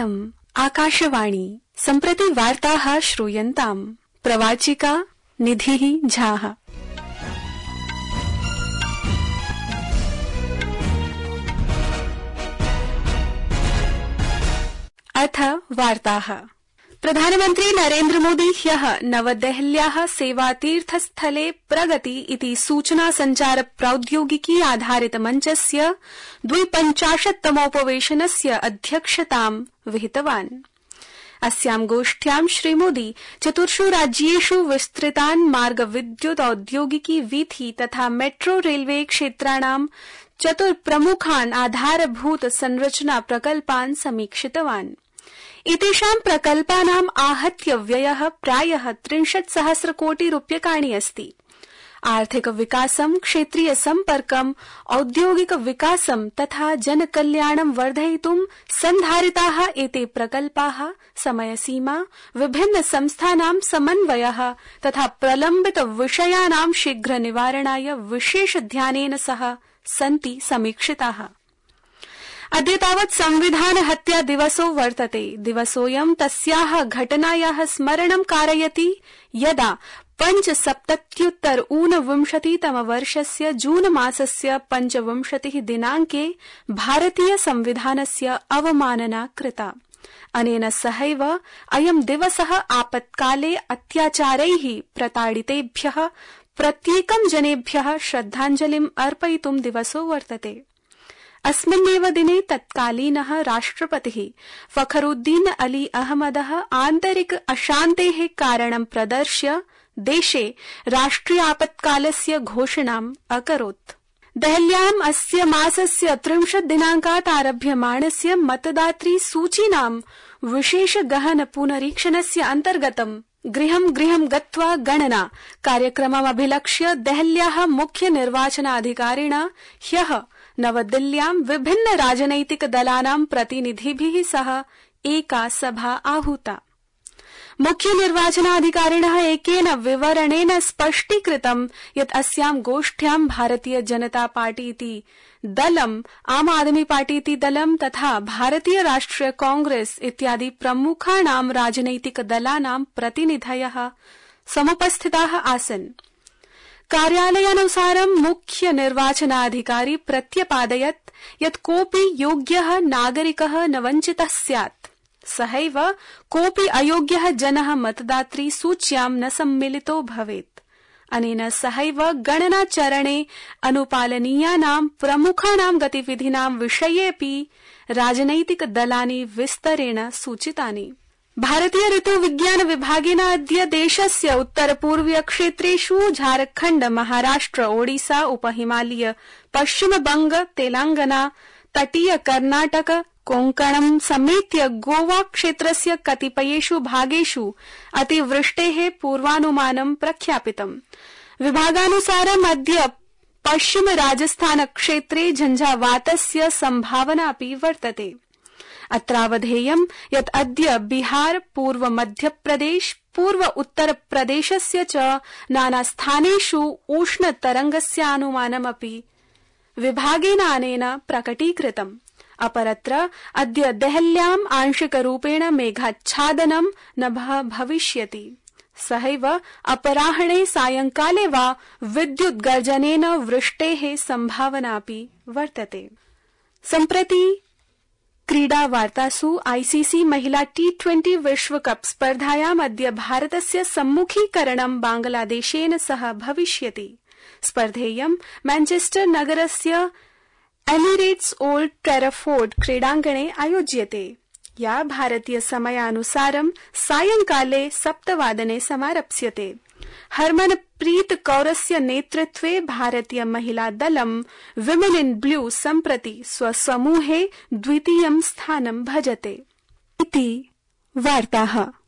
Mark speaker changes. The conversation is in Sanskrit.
Speaker 1: इयम् आकाशवाणी सम्प्रति वार्ताः श्रूयन्ताम्। प्रवाचिका निधिः झाः। अथ वार्ताः। प्रधानमन्त्री नरेन्द्र मोदी ह्यः नवदेहल्याः सेवातीर्थस्थले प्रगति इति सूचना संचार प्रौद्योगिकी आधारित मञ्चस्य 52तमोपवेशनस्य अध्यक्षतां विहितवान्। अस्यां गोष्ठ्यां श्रीमोदी चतुर्षु राज्येषु विस्तृतान् मार्ग विद्युत औद्योगिकी वीथि तथा मेट्रो रेलवे क्षेत्राणां 4 प्रमुखान् आधारभूत संरचना प्रकल्पान् समीक्षितवान्। एतेषां प्रकल्पानाम् आहत्य व्ययः प्रायः 30,000 कोटि रूप्यकाणि अस्ति। आर्थिक विकासं, क्षेत्रीय सम्पर्कं, औद्योगिक विकासं तथा जनकल्याणं वर्धयितुं सन्धारिताः एते प्रकल्पाः समयसीमा, विभिन्न संस्थानां समन्वयः तथा प्रलम्बित विषयाणां शीघ्र निवारणाय विशेष ध्यानेन सह सन्ति समीक्षिताः। अद्य तावत् संविधान हत्या दिवसो वर्तते। दिवसोऽयं तस्याः घटनायाः स्मरणं कारयति यदा 5,77,ऊनविंशतितमवर्षस्य जून मासस्य 25 दिनाङ्के भारतीय संविधानस्य अवमानना कृता। अनेन सहैव अयं दिवसः आपत्काले अत्याचारैः प्रताडितेभ्यः प्रत्येकं जनेभ्यः श्रद्धाञ्जलिम् अर्पयितुं दिवसो वर्तते। अस्मिन्नेव दिने तत्कालीनः राष्ट्रपतिः फखरुद्दीन अली अहमदः आन्तरिक अशान्तेः कारणं प्रदर्श्य देशे राष्ट्रियापत्कालस्य घोषणाम् अकरोत्। देहल्याम् अस्य मासस्य 30 दिनाङ्कात् आरभ्यमाणस्य मतदातृ सूचीनां विशेष गहन पुनरीक्षणस्य अन्तर्गतं गृहं गृहं गत्वा गणना कार्यक्रममभिलक्ष्य देहल्याः मुख्य निर्वाचनाधिकारिणा ह्यः नवदिल्ल्यां विभिन्न राजनैतिक दलानां प्रतिनिधिभिः सह एका सभा आहूता। मुख्य निर्वाचनाधिकारिणः एकेन विवरणेन स्पष्टीकृतं यत् अस्यां गोष्ठ्यां भारतीय जनता पार्टी इति दलम्, आम आदमी पार्टी इति दलं तथा भारतीय राष्ट्रिय कांग्रेस इत्यादि प्रमुखाणां राजनैतिक दलानां प्रतिनिधयः समुपस्थिताः आसन्। कार्यालयानुसारं मुख्य निर्वाचनाधिकारी प्रत्यपादयत् यत् कोऽपि योग्यः नागरिकः न वञ्चितः स्यात्। सहैव कोऽपि अयोग्यः जनः मतदातृ सूच्यां न सम्मिलितो भवेत्। अनेन सहैव गणनाचरणे अनुपालनीयानां प्रमुखाणां गतिविधीनां विषयेऽपि राजनैतिक दलानि विस्तरेण सूचितानि। भारतीय ऋतु विज्ञान विभागेन अद्य देशस्य उत्तरपूर्वीय क्षेत्रेषु झारखण्ड, महाराष्ट्र, ओडिसा, उपहिमालय, पश्चिमबंग, तेलंगाना, तटीय कर्नाटक, कोंकणं समेत्य गोवा क्षेत्रस्य कतिपयेषु भागेषु अतिवृष्टेः पूर्वानुमानं प्रख्यापितम्। विभागानुसारम् अद्य पश्चिम राजस्थान क्षेत्रे झंझावातस्य संभावनापि वर्तते। अत्रावधेयं यत् अद्य बिहार, पूर्व मध्यप्रदेश, पूर्व उत्तरप्रदेशस्य च नानास्थानेषु उष्णतरङ्गस्यानुमानमपि विभागेन अनेन प्रकटीकृतम्। अपरत्र अद्य देहल्याम् आंशिकरूपेण मेघाच्छादनं न भविष्यति। सहैव अपराह्णे सायंकाले वा विद्युत् गर्जनेन वृष्टेः संभावनापि वर्तते। सम्प्रति क्रीडा वार्तासु आईसीसी महिला T20 विश्वकप स्पर्धायाम् अद्य भारतस्य सम्मुखीकरणं बांग्लादेशेन सह भविष्यति। स्पर्धेयं मैनचेस्टर नगरस्य एमिरेट्स ओल्ड ट्रैफोर्ड क्रीडाङ्गणे आयोज्यते, या भारतीय समयानुसारं सायंकाले 7 वादने समारप्स्यते। हरमनप्रीत कौरस्य नेतृत्वे भारतीय महिला दलं विमेन इन ब्लू सम्प्रति स्वसमूहे द्वितीयं स्थानं भजते। इति वार्ताः।